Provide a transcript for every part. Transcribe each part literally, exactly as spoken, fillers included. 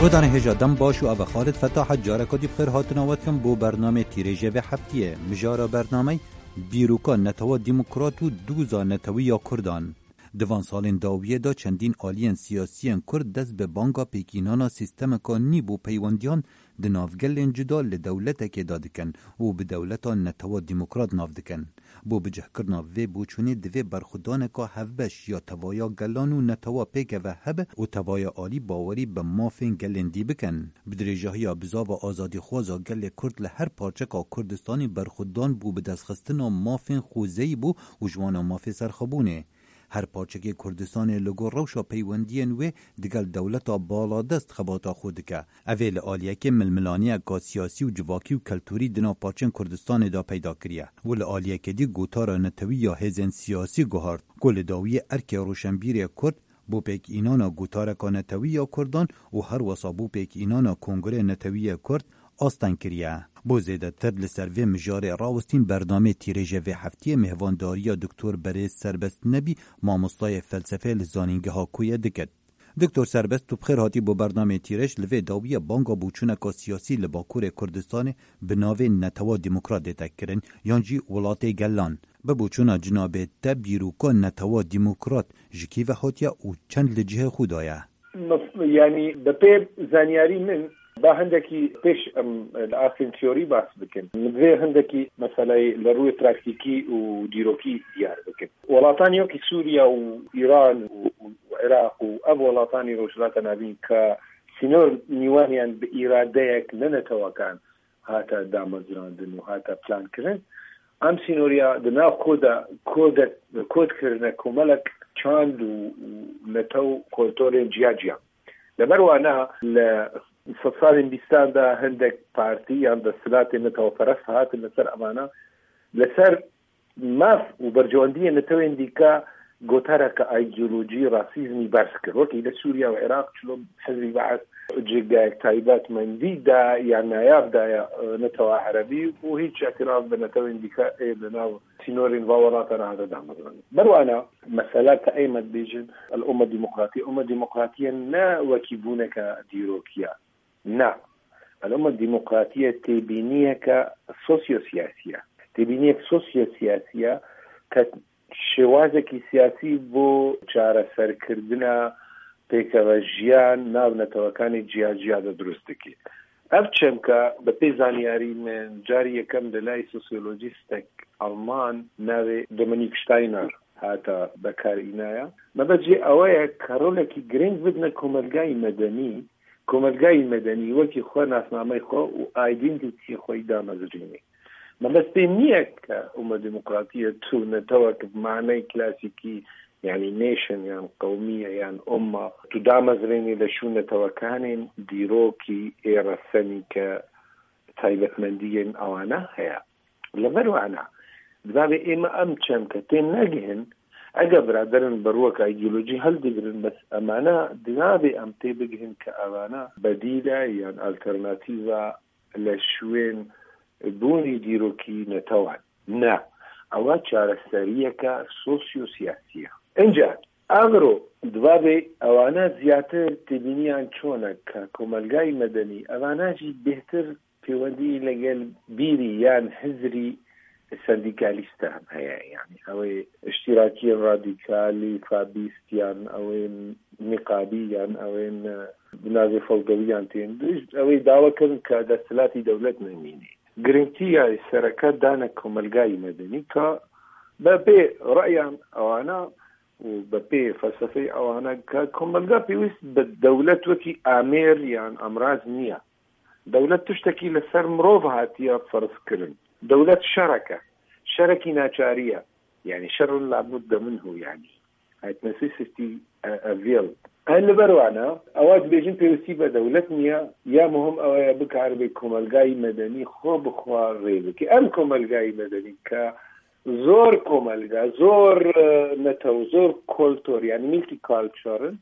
Guhdarên hêja dem baş û eve Xalid Fetah e, careka dî bi xêr hatina we dikim bo bernamê tîrêjê vê heftiyê. Mijara bernamey Bîroka Netewa Demokrat û Doza Netewî ya Kurdan. Di van salên dawiyê de çendîn aliyên siyasiyên Kurd dest bi banga pêkînana sîstemeka nî bo peywendiyan di nav gelên cuda li dewletekê de dikin û bi dewleta netewa demokrat nav dikin. Bo bicihkirina vê boçûnê divê berxwedaneka hevbeş ya tevaya gelan û netewa pêkeve hebe û tevaya alî bawerî bi mafên gelên dî bikin. Bi dirêjahiya bizava azadîxwaza gelê Kurd li her parçeka Kurdistanê berxwedan bû bi destxistina mafên xwezeyî bû û ji wana mafê serxwebûnê. Her parçekê Kurdistanê li gor rewşa peywendiyên wê digel dewleta baladest xebata xwe dike. Ev ê li aliyekê milmilaniyeka siyasî û civakî û keltûrî di nav parçên Kurdistanê de peyda kiriye û li aliyekê dî gotara netewî ya hêzên siyasî guhart ku li dawiyê erkê roşenbîrê Kurd bo pêkînana gotareka netewî ya Kurdan û herwesa bo pêkînana Kongreya Netewî ya Kurd asteng kiriye. Bo zêdetir li ser vê mijarê rawestîn bernamê tîrêjê vê heftiyê mêhvandariya Doktor Berêz Serbest Nebî, mamostayê felsefeyê li Zanîngeha Koyê dikit. Doktor Serbest, tu bi xêr hatî bo bernamê tîrêj. Li vê dawiyê banga boçûneka siyasî li Bakurê Kurdistanê bi navê Netewa Demokrat dê te kirin, yan jî Welatê Gelan. Bi boçûna cinabê te bîroka Netewa Demokrat ji kî ve hatiye û çend li cihê xwe de ye? Mes-, yanî bi pê zanyarî min, ba hindekî pêş em li astên teorî bas bikin. Min divê hindekî meseleyê li rûyê praktîkî û dîrokî diyar bikin. Welataniya wekî Sûriye û Îran û, û Iraq û ev welatanî Rojhilata Navîn ke sînor nîwaniyan bi îradeyek ne netewekan hate damezrandin û hate plankirin. Em sînoriya di nav koda, koda, kod kirine komelek çand û, û netew û kulturên ciya ciya. Li ber wana li sedsalên bîstan de hindek partî yan desthilatên neteweperest hatin li ser evana, li ser maf û berjewendiyên netewên dîka gotareke îdeolojî rasîzmî berz kir. Wekî li Sûriye û Iraq çilo Hizbî Be'es cigayek taybetmendî da ya nayab daye, e, netewa erebî û hîç îtiraf bi netewên dîka ê li nav sînorên va welatan nehate damezrandin. Ber wana mesela ke ê me dibêjin el-umma demokratî, umma demokratî ne wekî bûneke dîrokî ye. Na. Eloma demokratiye têbîniyeke sosyosiyasî ye. Têbîniyek sosyosiyasî ye ke şêwazekî siyasî bo çareserkirina pêkevejiyan nav netewekanê ciya ciya de dirust dike. Ev çemke bi pê zanyarî min carî yekem li lay sosyolojîstek Alman navê Dominik Steiner hate bekarînaya. Mebest jê ew ye ke rolekî girîng bidine komelgayî medenî, komelgayî medenî wekî xwe nasnameyê xwe û identiteyê xwe yî damezrînê. Mebest pê nîye ke umma demokratî ye tu netewek bi maneyê klasîkî, yanî nation yan qewmiye yan umma, tu damezrênî li şûn netewekanên dîrokî ê resenî ke taybetmendiyên ewana heye. Li vir wana, divê ême em çemke tê negihin, eger biraderin bi rûyeka îdeolojî hildigirin, bes emana divê em tê bigihin ke evana bedîle yan alternatîva li şûên bûnî dîrokî netewan. Ne, ewa çareseriyeke sosyosiyasî ye. Înca, agro, divê ewana ziyatir têbîniyan çone ke komelgayî medenî, evana jî bêhtir pêwendî legel bîrî yan hizrî sendîkalîst de hem heye. Yanî ew ê îştîrakiyên radîkalî, fabîst yan ew ên nîqabî yan ew ên, e, bi navê fewdewiyan tên. Ew ê dawa kirin ke desthilatî dewlet nemîne. Girîngtiya sereke dane komelgayî medenî ke bi pê reyan ewana û bi pê felsefeyê ewana ke komelga pêwîst bi dewlet wekî amêr yan emraz niye. Dewlet tiştekî li ser mirov hatiye ferz kirin. Dewlet şerek e. Şerekî neçarî ye. Yanî şerun la budde minhu yanî. It necessity, uh, avail. Her li ber wana, ewa dibêjin pêwîstî be dewlet niye, ya muhim ew ye bikaribe komelgayî medenî xwe bi xwe rê bike. Em komelgayî medenî ke zor komelga, zor, e, netew, zor kultur, yanî multicultural in,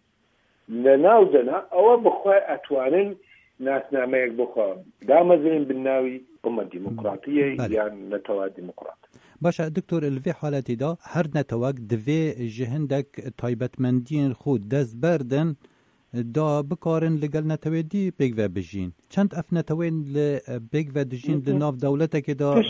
li nav de ne, ewa bi xwe etwanin nasnameyek bi xwe damezrînin bi navî umma demokratiyê Belê. Yan netewa demokrat. Baş e, doktor, li vê haletê de her netewek divê ji hindek taybetmendiyên xwe dest berdin, da bikarin li gel netewê dî pêk ve bijîn. Çend ev netewên li, e, pêk ve dijîn li nav dewletekê de, e,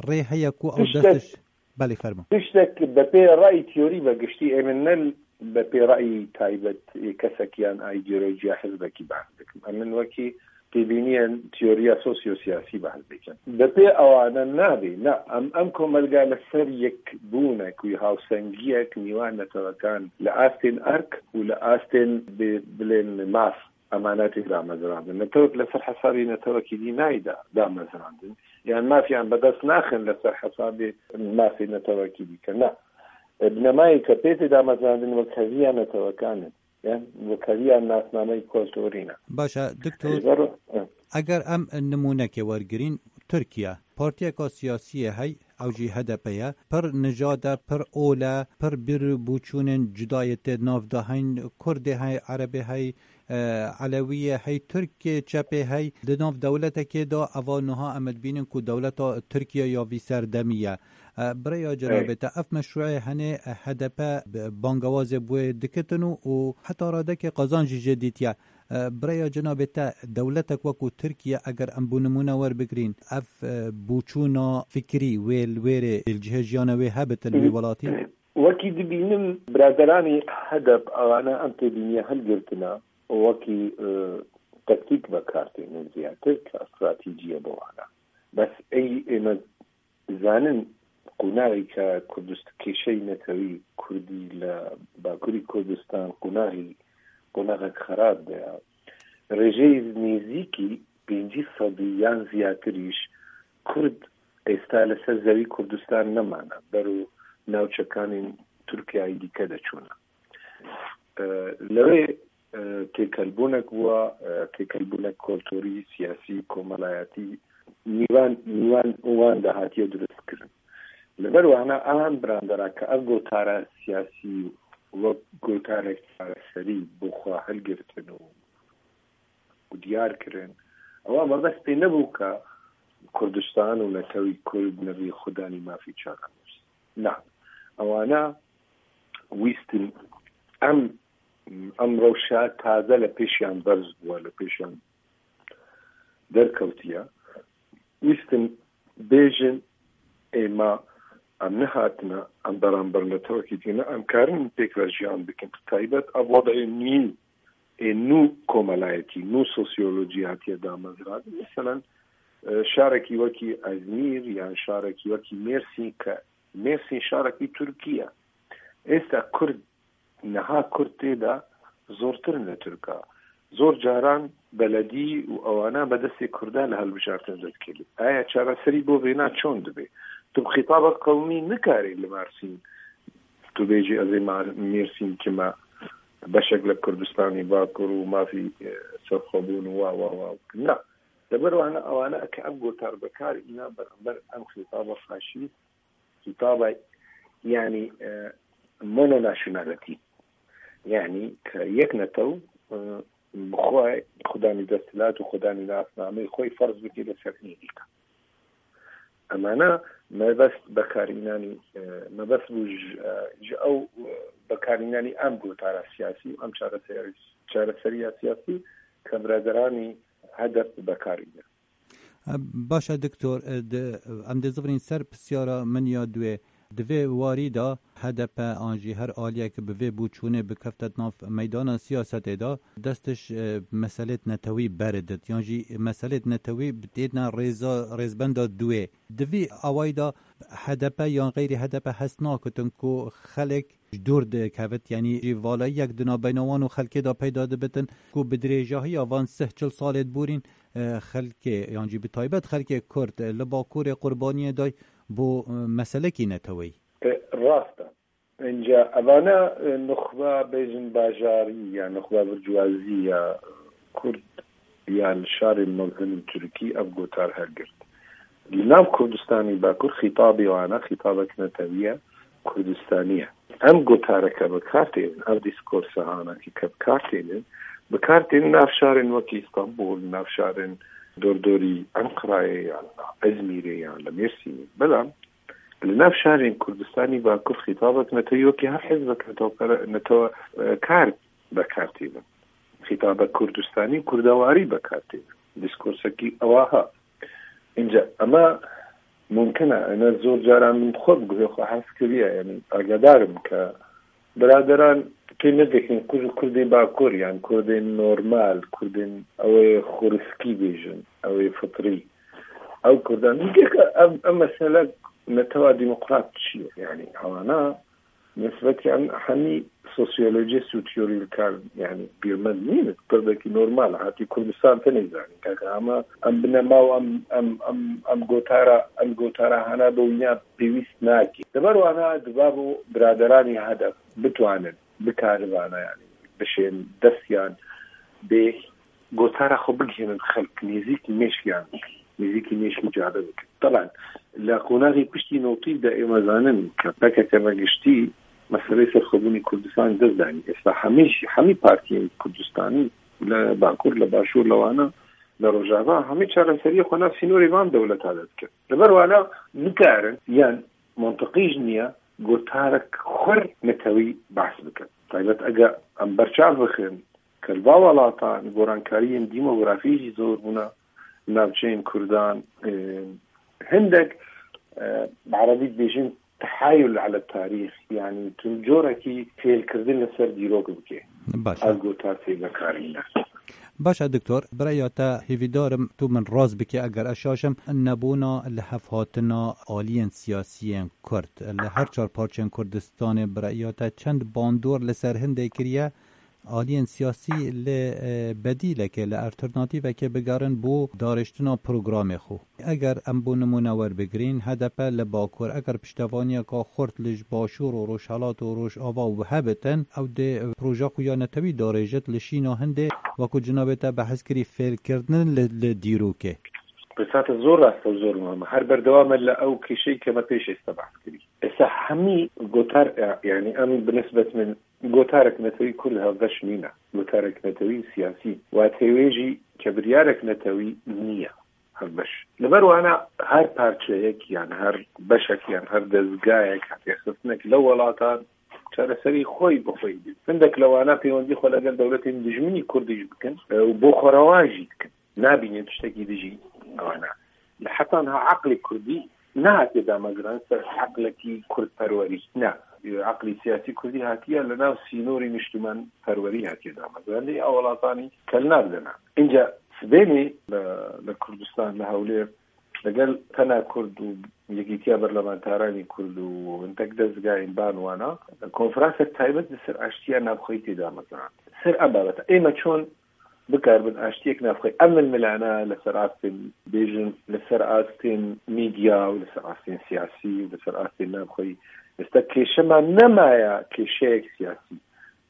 rê heye ku ew dest Belê, fermo. Tiştek bi pê rayî teorî ve giştî, ê min ne bi pê rayî taybet ê kesek yan îdeolojiya hizbekî behs dikim. Em min wekî têbîniyên teoriya sosyosiyasî behs dikim. Bi pê ewana nabê, na, em, em komelga li ser yekbûnek wî hawsengiyek nîwan netewekan li astên erk û li astên bi-, bilên maf emanetê damezrandin. Netewek li ser hesabê netewekî dî nayê da-, damezrandin. Yan mafiyan bi dest naxin li ser hesabê mafê netewekî dî. Na. E, binemayê ke pê tê damezrandin wekheviya netewekan in. Yan wekheviya nasnameyê kulturî ne. Baş e, doktor, Ji ber, e. Eger em nimûnekê wergirîn, Tirkiye, partiyeka siyasî ye hey, ew jî H D P ye, pir nijad e, pir ol e, pir bîr û boçûnên cuda yê tê nav de heyn, Kurdê hey, Erebê hey, e, Elewî ye hey, Tirkê çepê hey, di nav dewletekê de eva niha em dibînin ku dewleta Tirkiye ya vî serdemî ye. E, bi rêya cenabê te, ev meşrûê henê H D P bi-, bangewazê bi wê dikitin û, û heta radekê qazanc jî jê dîtiye. E, bi rêya cenabê te, dewletek wekû Tirkiye, eger em bo nimûne werbigirîn, ev, e, boçûna fikrî wê li wêrê li cihê jiyana wê hebitin wî welatî? Wekî dibînim, biraderanî H D P ewana em têbîniye hilgirtina, wekî, e, taktîk vekar têne ziyartir ka stratejî ye bo wana. Bes ey ê me zanin qonaxî ke Kurdist-, kêşeyê netewî Kurdî li Bakurî Kurdistan qonaxî, qonaxek xerab de ye. Rêjeyê nêzîkî pêncî sedî yan ziyartir îş Kurd êsta li ser zewî Kurdistan nemane, ber û navçekanên Tirkiyeyê dîke de çûne. E, lewê, e, têkelbûnek bûa, e, têkelbûnek kulturî, siyasî, komelayetî, nîvan, nîvan wan de hatiye dirustkirin. Li ber wana a hem birandera ke ev gotara siyasî wek gotarek çareserî bo xwe hilgirtin û, û diyar kirin, ewa mebest pê nebû ke Kurdistan û netewî Kurd nebî xudanî mafî çakan. Na, ewana wîstin em, em rewşa taze li pêşiyan berz bûye, li pêşiyan derkewtiye. Wîstin bêjin, ê ma, em nehatine, em beramber netewekî tîne, em karin pêk ve jiyan bikin. Bi taybet ev wedayê nû, ê nû komelayetî, nû sosyolojî hatiye damezrandin. Meselen, e, şarekî wekî Ezmîr yan şarekî wekî Mêrsîn ke Mêrsîn şarekî Tirkî ye. Êsta Kurd, niha Kurd tê de zortir in li Tirka. Zor caran beledî û ewana bi destê Kurdan li hilbijartin derdikevin. Aya çareserî bo vêna çond dibe? Tu bi xîtabek qewmî nikarî li Mêrsîn tu bêjî ez ê Mar-, Mêrsîn kime beşek li Kurdistanê Bakur û mafî, e, serxwebûn û wa, wa, wa. Na. Li ber wana ewana ke ev gotar bi kar îna beramber em xîtaba faşîst, xîtaba, yanî, e, mononationality. Yanî ke yek netew, e, bi xwe xudanî desthilat û xudanî nasnameyê xwe ferz bike li ser êdî ke. Emana mebest bekarînanî, e, mebest bû ji, e, ji ew, e, bekarînanî em gotara siyasî û em çareser-, çareseriya siyasî ke biraderanî H D P bekarîne. Baş e, Doktor, e, di, em dê zivirîn ser pisyara min ya duê. Di vê warî de H D P an jî her aliyek bi vê boçûnê bikefte di nav meydana siyasetê de, destiş, e, meselêt netewî beridit, yan jî meselêt netewî bitêne rêza, rêzbenda duê. Di vî awayî de H D P yan xeyrî H D P hest nakitin ku xelek ji dûr dikevit, yanî jî valayiyek di navbeyna wan û xelkê de peyda dibitin ku bi dirêjahiya van sih çil salê diborîn, e, xelkê, yan jî bi taybet xelkê Kurd, e, li Bakurê qurbaniyê day bo, e, meselekî neteweyî. E, rast e. Înca evana, e, nuxba bêjin bajarî ya nuxba bircwazî ya Kurd ya li şarên mezin û Tirkî ev gotar hilgirt. Li nav Kurdistanê Bakur xîtabê wan e, xîtabek netewî ye, Kurdistanî ye. Em gotareke bi kar tênin, ev dîskorsa hanakî ke bi kar tênin, bi kar tênin nav şarên wekî Îstanbul, nav şarên dordorî Enqerayê yan li Ezmîrê yan li Mêrsînê. Belam li nav şarên Kurdistanî Bakur xîtabek netewî wekî her hizbek netewe-, netewe-, e, kar bi kar tênin. xîtaba Kurdistanî û Kurdewarî bekartê. Diskursekî ewa ha. Înca ema mumkin e, ene zor caran min xwe bi guhê xwe hez kiriye, yanî agedar im ke biraderan pê nedikin ku ji Kurdê Bakur, yan Kurdên normal, Kurdên ew ê xuriskî bêjin, ew ê fitrî. Ew Kurdan. Dike ke ev, ev mesele netewa demokrat çi ye? Yanî ewana nisbetiyan hemî sosyolojist û teorîkar, yanî bîrmend nîn, Kurdekî normal hatî Kurdistan tenê zanîn. Kaka ama em binema û em, em, em, em gotara, em gotara hana bo wîna pêwîst nake. Li ber wana dibabo biraderanî hedef bitwanin, bikaribana, yanî bişên destiyan bê gotara xwe bigihînin xelk, nêzîkî mêşkiyan bikin, nêzîkî mêşkî cade bikin. Taban, li qonaxê piştî notî de ême zanin ke P K K me giştî meseleyê serxwebûnê Kurdistanê dest danî. Êsta hemî jî, hemî partiyên Kurdistanî li Bakur, li Başûr, li Wana, li Rojava, hemî çareseriyê xwe nav sînorê van dewleta de dikin. Li ber wana nikarin, yan mantiqî jî niye, gotarek xur netewî behs bikin. Taybet ege em berçav bixin, ke li va welatan gorankariyên demografî jî zor bûne, navçeyên Kurdan, e, hindek, e, bi erebî dibêjin tehayul ele tarîx, yanî tu corekî fêlkirdin li ser dîrok bike. Baş e. Ev gotar tê vekarîne. Baş e, Doktor, bi rêya te hêvîdar im tu min rast bike eger ez şaş im, nebûna lihevhatina aliyên siyasiyên Kurd li her çar parçeyên Kurdistanê bi rêya te çend bandor li ser hindê kiriye? Aliyên siyasî li, e, bedîlekê, li alternatîvekê bigerin bo darêştina programê xwe. Eger em bo nimûne werbigirîn, H D P li Bakur, eger piştevaniyeka xurt li ji Başûr û Rojhelat û Rojava û hebitin, ew dê proje xwe ya netewî darêjit li şîna hindê, wekû cinabê te behs kirî fêlkirdin li, li dîrokê. Pirsate zor rast e û zor muhim e. Her berdewam e li ew kêşeyî ke me pêş êsta behs kirî. Êsta hemî gotar, yanî em bi nisbet min gotarek netewî ku li hevbeş nîne. Gotarek netewî û siyasî. Watê wê jî ke biryarek netewî niye hevbeş. Li ber wana her parçeyek, yan her beşek, yan her dezgayek, hatiye xistinek li welatan çareserî xwe bi xwe dî. Hindek li wana peywendî xwe legel dewletên dijminî Kurdî jî bikin, e, û bo xwe rewa jî dikin. Nabînin tiştekî dijî wana. Li heta niha eqlê Kurdî nehatiye dameziran ser eqlekî Kurdperwerî. Ne. Eqlê siyasî Kurdî hatiye li nav sînorî niştimanperwerî hatiye dameziran. Lê ew welatanî kelnar dene. Înca sibênê li, li Kurdistan, li Hewlêr, legel tena Kurd û Yekîtiya Berlemantaranî Kurd û hindek dezgahên ban wana, konferansek taybet li ser aştiya navxweyî tê dameziran. Ser ev babeta. Ême çon bikaribin aştiyek navxweyî. Ev milmilane li ser astên, bêjin, li ser astên medya û li ser astên siyasî û li ser astên navxweyî. Êsta kêşe me nemaye kêşeyek siyasî.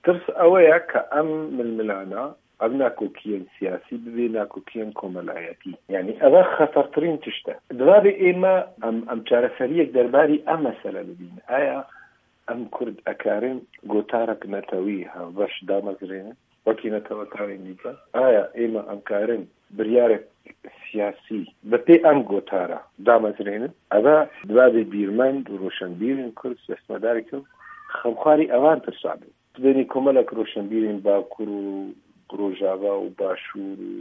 Tirs ew e ke em milmilane, ev nakokiyên siyasî bibe nakokiyên komelayetî. Yanî ev e xetertirîn tişt e. Divabê ême em, em çareseriyek derbarî ev mesele bibînin. Aya em Kurd ekarin gotarek netewî hevbeş damezrênin, wekî netewekarên dîke? Aya ême em karin biryarek siyasî bi pê em gotara damezrênin? Eve divabê bîrmend û roşenbîrên Kurd, siyasetmedarên Kurd xemxwarî evan pirsa bin. Dibênî komelek roşenbîrên Bakur û Rojava û Başûr û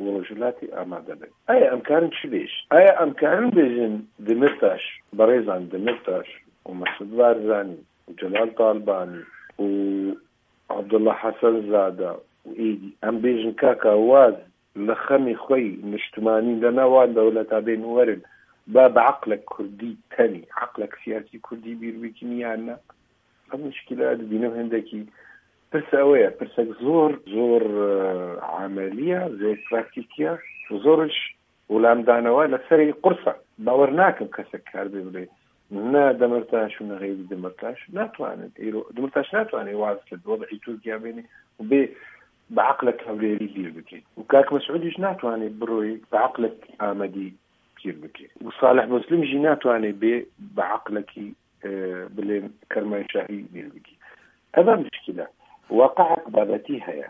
û Rojhilatê amade bin. Aya em karin çi bêjin? Aya em karin bêjin Demirtaş, berêzan Demirtaş û Mesûd Barzanî û Celal Talbanî û Abdullah Hesen Zade û êdî, em bêjin kaka waz li xemê xwe yî niştimanî li nav wan dewleta bên û werin ba bi eqlek kurdî tenî, eqlek siyasî kurdî bîr bikîn yan ne? Ev mişkîle dibînim hindekî. Pirse ew e, pirsek zor, zor, e, emelî ye, zor praktîkî ye û zor ji welamdane we li serê qurs e. Bawer nakim kesek karibe bile. Ne Demirtaş û ne xeyrî Demirtaş natwanin. Îro Demirtaş natwane waz li wed'î Tirkiye bêne û bê bi eqlek Hewlêrî bîr bike. Û Kak Mesûdî jî natwane biroyê bi eqlek Amedî bîr bike. Û Salih Muslim jî natwane bê bi eqlekî e, bilên Kermanşahî bîr bikî. Ev e mişkîle. Waqeek babetî heye.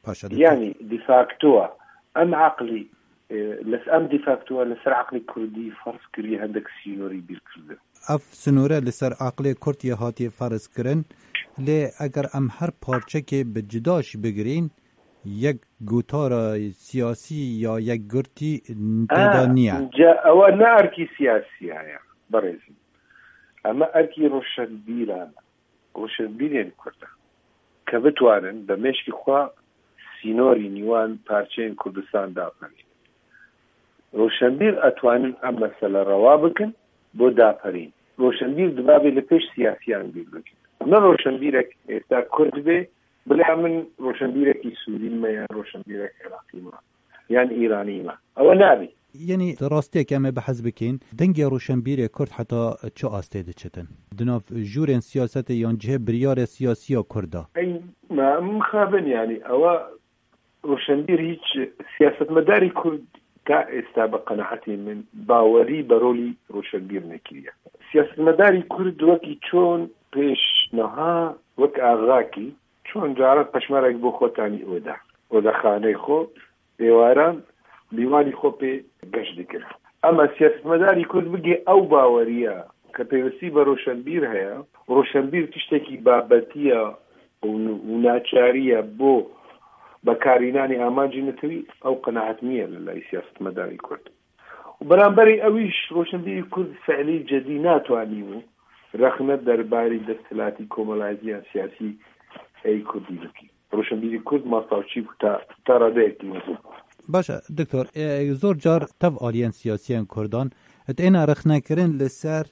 Paşa dikî. Yanî de facto em eqlî, e, li, em de facto li ser eqlê kurdî ferz kiriye hindek sînorî bîr kirdi. Ev sinore li ser eqlê kurd yê hatiye ferz kirin, lê eger em her parçekê bi cida jî bigirîn, yek gotara siyasî ya yekgirtî tê de Ha, niye. Ca ewa ne erkî siyasî heye, berêzim. Eme erkî roşenbîran, roşenbîrên Kurd e. Ke bitwanin be mêşkî xwe sînorî nîwan parçeyên Kurdistan daperînin. Roşenbîr etwanin em mesele rewa bikin bo daperîn. Roşenbîr dibabê li pêş siyasiyan bîr bikin. Ne roşenbîrek êsta Kurd bê, bila min roşenbîrekî Sûrî me yan roşenbîrek Iraqî me yan Îranî me. Ewe nabê. Yanî rastiyek em ê behs bikin, dengê roşenbîrê Kurd heta çi astê diçitin? Di nav jûrên siyasetê yan cihê biryarê siyasî ya Kurd de? Ey, me mixabin yanî, ewa roşenbîr hîç siyasetmedarî Kurd ta êsta bi qenaetê min bawerî bi rolî roşenbîr nekiriye. Siyasetmedarî Kurd wekî çon pêş niha wek axakî çon caran peşmerek bo xwe tanî oda, odexaneyê xwe, êwaran bîwanî xwe pê geş dikir. Ema siyasetmedarî Kurd bigê ew baweriya ke pêwistî bi roşenbîr heye, roşenbîr tiştekî babetî ye û, û naçarî ye bo bekarînanê amancê netewî, ew qenaet niye li lay siyasetmedarî Kurd. Û beramberî ewîş roşenbîrî Kurd fiilî cedî natwanî bû rexne derbarî desthilatî komelaziya siyasî ey Kurdî bikî. Roşenbîrî Kurd mastav çî bû ta, ta radeyekî mezin. Baş e, Doktor, e, zor car tev aliyên siyasiyên Kurdan têne rexnekirin li ser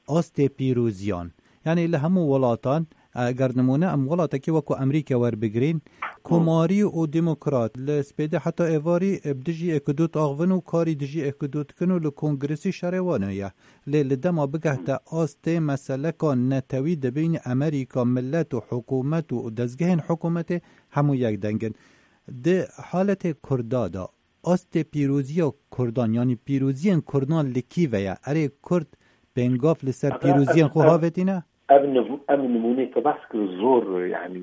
astê pîroziyan. Yanî li hemû welatan, eger nimûne em welatekî wekû Amerîka werbigirîn, komarî û demokrat li spêdê heta êvarî bi dijî êkidût axivin û karî dijî êkidût dikin û li kongresî şerê wan ye. Lê li dema bigehte astê meseleka netewî di bînî Amerîka, milet û hikûmet û dezgehên hikûmetê hemû yek deng in. Di haletê Kurda de astê pîroziya Kurdan, yanî pîroziyên Kurdan li kî ve ye? Erê Kurd pêngav li ser Ama pîroziyên ev, xwe ev, havêtîne? Ev niv-, ev nimûnê te behs kir zor, yanî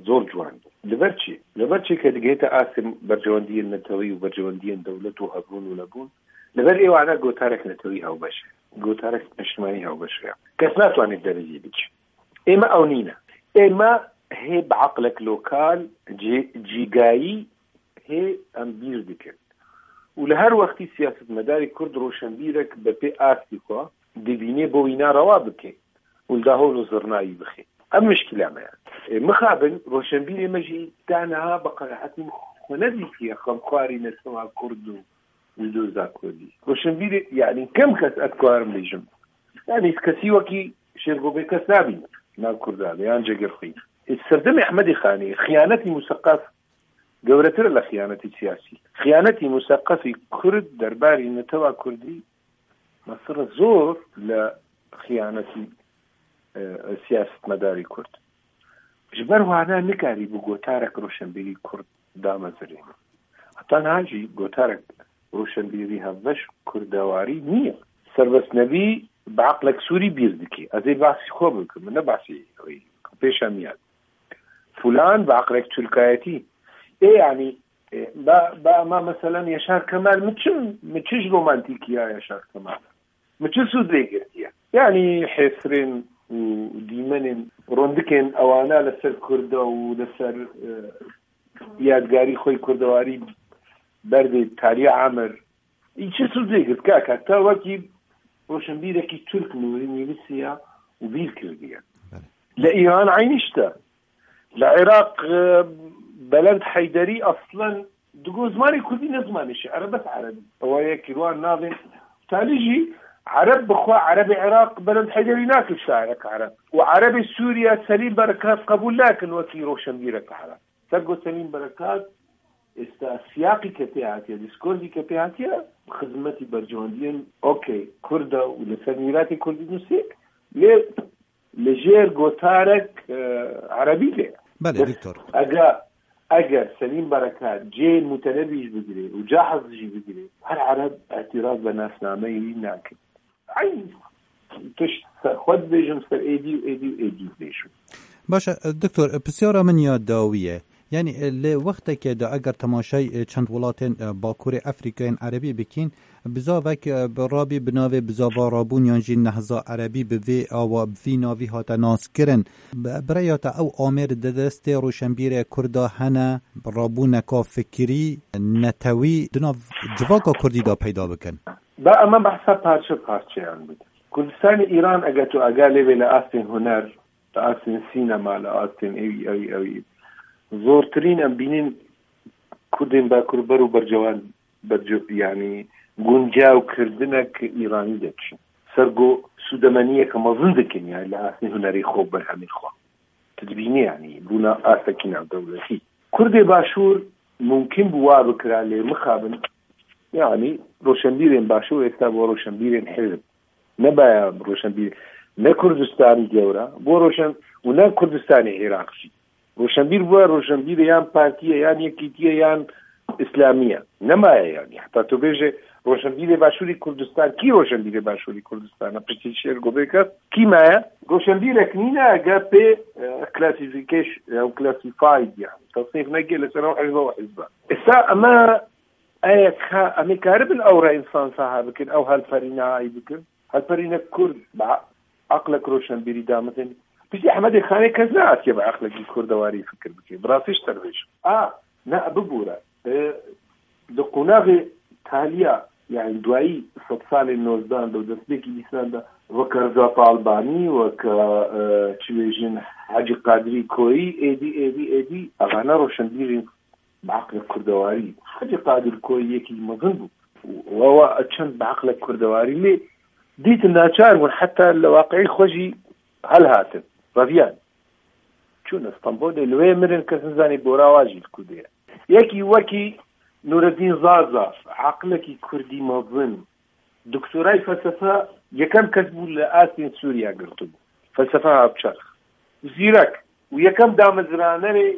zor ciwan. Li ber çi? Li ber çi ke digihête astê berjewendiyên netewî û berjewendiyên dewlet û hebûn û nebûn? Li ber êwana gotarek netewî hewbeş e. Gotarek niştimanî hewbeş e. Kes natwanê derê jî biçe. Ême ew nîne. Ême hê bi eqlek lokal cî-, cîgayî hê em bîr dikin. Û li her wextî siyasetmedarê Kurd roşenbîrek bi pê astî xwe dibînê bo wîna rewa bike û li dahon û zirnayî bixe. Ev mişkila me ye. Ê, mixabin roşenbîrê me jî ta niha bi qenaetî xwe nedîtiye xemxwarî netewa Kurd û û doza Kurdî. Roşenbîrê, yanî kem kes ez karim bêjim. Yanî kesî wekî Şêrgo Bêkes nabîne nav Kurdan de, yan Cegirxwîn. Ê, serdemê Ehmedê Xanê, xiyanetî museqef gewretir e li xiyanetî siyasî. Xiyanetî museqefî Kurd derbarî netewa Kurdî mestir e zor li xiyanetî, e, siyasetmedarî Kurd. Ji ber wana nikarî bi gotarek roşenbîrî Kurd damezirê. Heta niha jî gotarek roşenbîrî hevbeş kurdewarî niye. Serbest Nebî bi eqlek Sûrî bîr dike. Ez ê behsî xwe bikim, min ne behsî wî bikim. Pêşemiyan. Fulan bi eqlek Tirkayetî. Ê, yanî, e, ba, ba, ma meselen Yaşar Kemal, mi çi, mi çi ji romantîkiya Yaşar Kemal? Mi çi sûd lê girtiye? Yanî hêsirên û dîmenên rondikên ewana li ser Kurda û li ser, e, yadgarî xwe yê kurdewarî berdê tariya emir. Î çi sûd lê girt? Kaka, te wekî roşenbîrekî Tirk nûrî nivîsiya û bîr kirdiye. Belê. Li Îran eynî işte. Li Iraq, e, Belend Heyderî aslen digo zimanê Kurdî ne zimanê şi'er e, bes Erebî. Ewa yekî wan navên talî jî Ereb bi xwe, Erebê Iraq Belend Heyderî nake şairek Ereb. Û Erebê Sûriye Selîm Berekat qebûl nakin wekî roşenbîrek Ereb. Te got Selîm Berekat, êsta siyaqî ke pê hatiye, dîskorzî ke pê hatiye, xizmetî berjewendiyên okey, Kurd e û li ser mîratê Kurdî nusê, lê li jêr gotarek, e, Erebî de. Belê, Bes Doktor. Eger, eger Selîm Berekat cê Mutenebî jî bigirê û Cahiz jî bigirê, her Ereb îtiraz bi nasnameyê wî nake. Eyn tişt ser xwe dibêjim, ser êdî û êdî û êdî dibêjim. Baş e, Doktor, pisyara min ya dawî ye. Yanî, e, li wextekê de eger temaşay, e, çend welatên, e, Bakurê Efrîkayên Erebî bikîn, bizavek, e, bi rabî bi navê bizava rabûn yan jî nehza erebî bi vê awa, bi vî navî hate naskirin. Bi, bi rêya te ew amêr di destê roşenbîrê Kurda hene, rabûneka fikirî, netewî, di nav civaka Kurdî de peyda bikin? Ba ema behsa parçe parçeyan bide. Kurdistanê Îran eger tu agah lê vê li astên huner, li astên sînema, li astên ewî, ewî, ewî. Zortirîn em bînin Kurdên Bakur ber û bercewan, berce-, yanî guncaw kirdinek Îranî de diçin. Ser go sûdemeniyeke mezin dikin, yanî li astê hunerê xwe, berhemê xwe. Tu dibînî, yanî bûna astekî navdewletî. Kurdê Başûr mumkin bû wa bikira, lê mixabin, yanî roşenbîrên Başûr êsta bo roşenbîrên hizb. Nebaya roşenbîr, ne Kurdistanî gewra, bo roşen û ne Kurdistanê Iraq jî. Roşenbîr bûye roşenbîrê yan partiyê, yan yekîtiyê, yan îslamiyê. Nemaye yanî. Heta tu bêje roşenbîrê Başûrî Kurdistan, kî roşenbîrê Başûrî Kurdistan e? Piştî şêr go bê kes, kî maye? Roşenbîrek nîne, eger pê, e, classification, e, classified yanî. Tasnîf neke li ser ew hizbe û hizbe. Esa ema, e, ka, em ê karibin ew re însan saha bikin, ew helperîne hay bikin. Helperînek Kurd, bi aqlek roşenbîrî damizin. Piştî Ehmedê Xanê kes neatiye bi aqlekî Kurdewarî fikir bike. Bi rastî ji te dibêjim. A, ne, bibûre. E, di qonaxê taliya, yanî duayî sed salên nozdan de û destpêkî bîstan de, weke Reza Talbanî, weke, e, çi bêjin, Hecî Qadirî Koyî, êdî, êdî, êdî, evane roşenbîrên bi aqlek Kurdewarî. Hecî Qadir Koyî yekî mezin bû. Û ewa çend bi aqlek Kurdewarî lê dîtin naçar bûn, heta li waqiî xwe jî helhatin, reviyan. Çûn Stenbolê, li wê mirin, kes nizanî bora wa jî li ku de ye. Yekî wekî Nureddîn Zaza, aqlekî Kurdî mezin, doktorayê felsefe, yekem kes bû li astên Sûriya girtibû. Felsefe hat çerx. Zîrek û yekem damezranerê,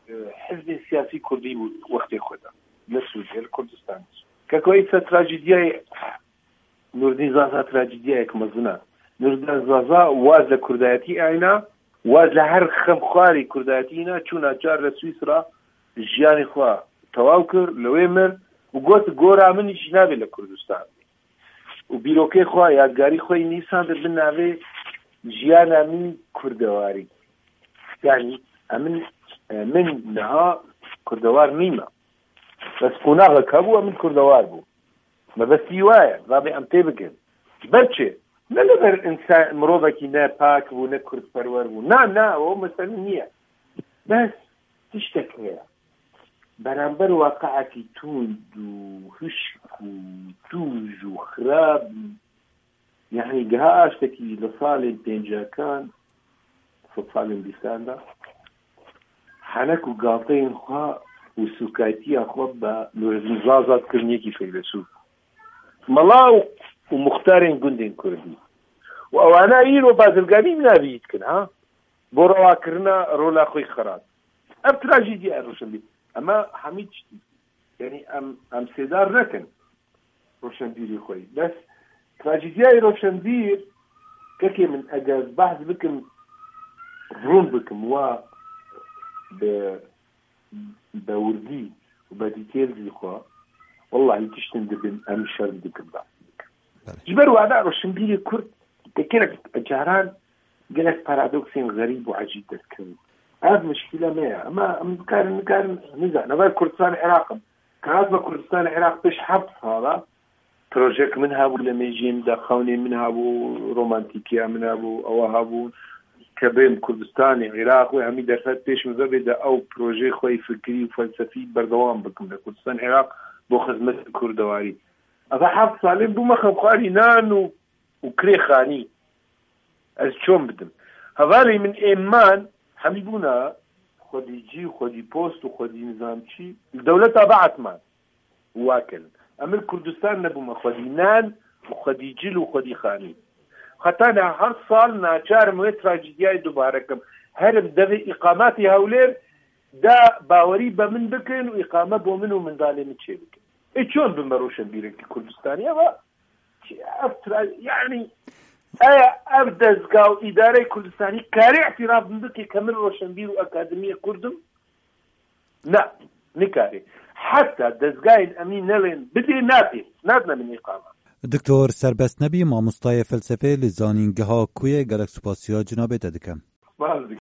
e, hizbên siyasî Kurdî bû wextê xwe de. Li Sûriye, li Kurdistanê. Keko îsa trajîdiyayê Nurdîn Zaza trajîdiyayek mezin e. Nurdîn Zaza waz li Kurdayetî ayna, waz li her xemxwarî Kurdayetî îna, çû naçar li Swîsra jiyanê xwe tewaw kir, li wê mir û got, gora min jî nabê li Kurdistan. Û bîrokê xwe, yadgarî xwe yî nîsandin bi navê jiyana min Kurdewarî. Yanî, em min, e, min niha Kurdewar nîme. Bes qonaxek hebû, em min Kurdewar bû. Mebestî wa ye, rabê em tê bikin. Ji ber çi? Ne li ber însan, mirovekî ne pak bû, ne kurdperwer bû. Na, na, o mesele niye. Bes tiştek heye. Beramber waqiekî tund û hişk û tûj û xirab, yanî giha aştekî li salên pêncakan, sed salên bîstan de, henek û galteyên xwe û sûkaytiya xwe bi Nûreddîn Zaza dikirin yekî feylesûf. Mela û, û muxtarên gundên Kurdî. Û ewana îro bazirganî bi navî dikin, ha? Bo rewakirina rola xwe xerat. Ev trajîdiya roşenbîr. Ema hemî tiştî. Yanî em, em sêdar nekin roşenbîrî xwe. Bes trajîdiyayê roşenbîr, kekê min, eger behs bikim, rûn bikim, wa bi, bi wirdî û bi dîtêl jî xwe, wellahî tiştin dibin, em şerm dikin, behs dikin. Belê. Ji ber wada roşenbîrê Kurd, tekerek caran gelek paradoksên xerîb û ecîb dest dikevin. Ev mişkîla me ye. Ema em dikarin, nikarin, nizanim. Ev Kurdistan Iraq im. Kahat me Kurdistan Iraq pêş heft sala projek min hebû, li mêjiyê min de xewnê min hebû, romantîkiya min hebû, ewa hebûn. Ke bêm Kurdistanê Iraq wê hemî derfet pêş min vebê de ew projeyê xwe yê fikirî û felsefî berdewam bikim li Kurdistan Iraq bo xizmet Kurdewarî. Eva heft salên bûme xemxwarî nan û û kirê xanî. Ez çon bidim? Hevalê min ê man hemî bûna xwedî cî û xwedî post û xwedî nizam çî li dewleta Be'et man û wa kirin. Em li Kurdistan nebûme xwedî nan û xwedî cil û xwedî xanî. Heta niha her sal naçar im wê trajîdiyayê dubare kim. Herim devê îqametê Hewlêr de bawerî be min bikin û îqame bo min û mindalê min çêbikin. Ê çon bime roşenbîrekî Kurdistanî? Eva Ev tra-, yanî, eya ev dezga û îdareyê Kurdistanî karê îtiraf min bike ke min roşenbîr û akademiyê Kurd im, Na, nikarî. Heta dezgahên emnî nelên bidê, nadê. Nadine min îqame. Doktor Serbest Nebî, mamostayê felsefê li zanîngeha Kuyê, gelek spasiya cinabê te dikim. Spas dikim.